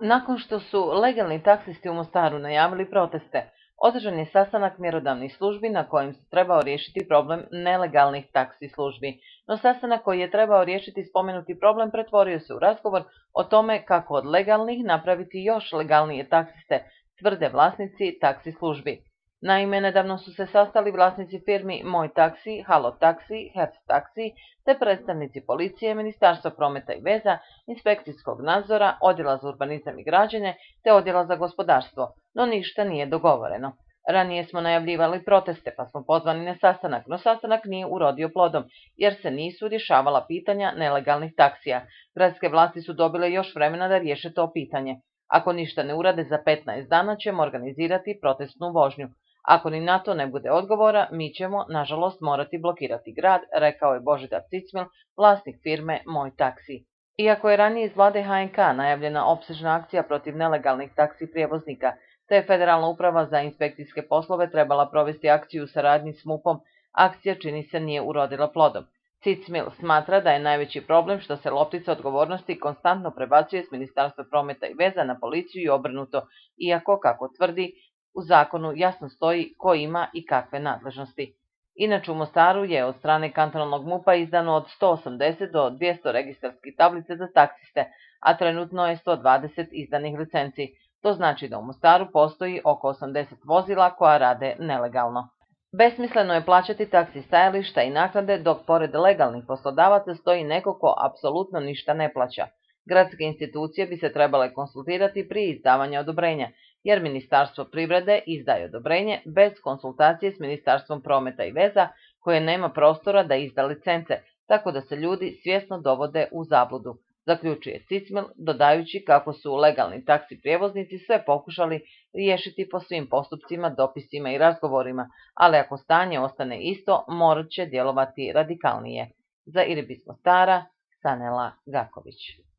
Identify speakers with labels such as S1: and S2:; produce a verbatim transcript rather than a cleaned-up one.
S1: Nakon što su legalni taksisti u Mostaru najavili proteste, održan je sastanak mjerodavnih službi na kojem se trebao riješiti problem nelegalnih taksi službi. No sastanak koji je trebao riješiti spomenuti problem pretvorio se u razgovor o tome kako od legalnih napraviti još legalnije taksiste, tvrde vlasnici taksi službi. Naime, nedavno su se sastali vlasnici firmi Moj taksi, Halo taksi, Herc taksi, te predstavnici policije, Ministarstva prometa i veza, inspekcijskog nadzora, odjela za urbanizam i građenje, te odjela za gospodarstvo, no ništa nije dogovoreno. Ranije smo najavljivali proteste, pa smo pozvani na sastanak, no sastanak nije urodio plodom, jer se nisu rješavala pitanja nelegalnih taksija. Gradske vlasti su dobile još vremena da riješe to pitanje. Ako ništa ne urade, za petnaest dana ćemo organizirati protestnu vožnju. Ako ni na to ne bude odgovora, mi ćemo, nažalost, morati blokirati grad, rekao je Božidar Cicmil, vlasnik firme Moj taksi. Iako je ranije iz vlade H N K najavljena opsežna akcija protiv nelegalnih taksi prijevoznika, te je Federalna uprava za inspekcijske poslove trebala provesti akciju u saradnji s M U P-om, akcija čini se nije urodila plodom. Cicmil smatra da je najveći problem što se loptica odgovornosti konstantno prebacuje s Ministarstva prometa i veza na policiju i obrnuto, iako, kako tvrdi, u zakonu jasno stoji ko ima i kakve nadležnosti. Inače u Mostaru je od strane kantonalnog M U P-a izdano od sto osamdeset do dvjesto registarskih tablice za taksiste, a trenutno je sto dvadeset izdanih licenci. To znači da u Mostaru postoji oko osamdeset vozila koja rade nelegalno. Besmisleno je plaćati taksi stajališta i naknade dok pored legalnih poslodavaca stoji neko ko apsolutno ništa ne plaća. Gradske institucije bi se trebale konsultirati prije izdavanja odobrenja, jer Ministarstvo privrede izdaje odobrenje bez konsultacije s Ministarstvom prometa i veza, koje nema prostora da izda licence, tako da se ljudi svjesno dovode u zabludu, zaključuje Cicmil, dodajući kako su legalni taksi prijevoznici sve pokušali riješiti po svim postupcima, dopisima i razgovorima, ali ako stanje ostane isto, morat će djelovati radikalnije. Za Irbis Mostara, Sanela Gaković.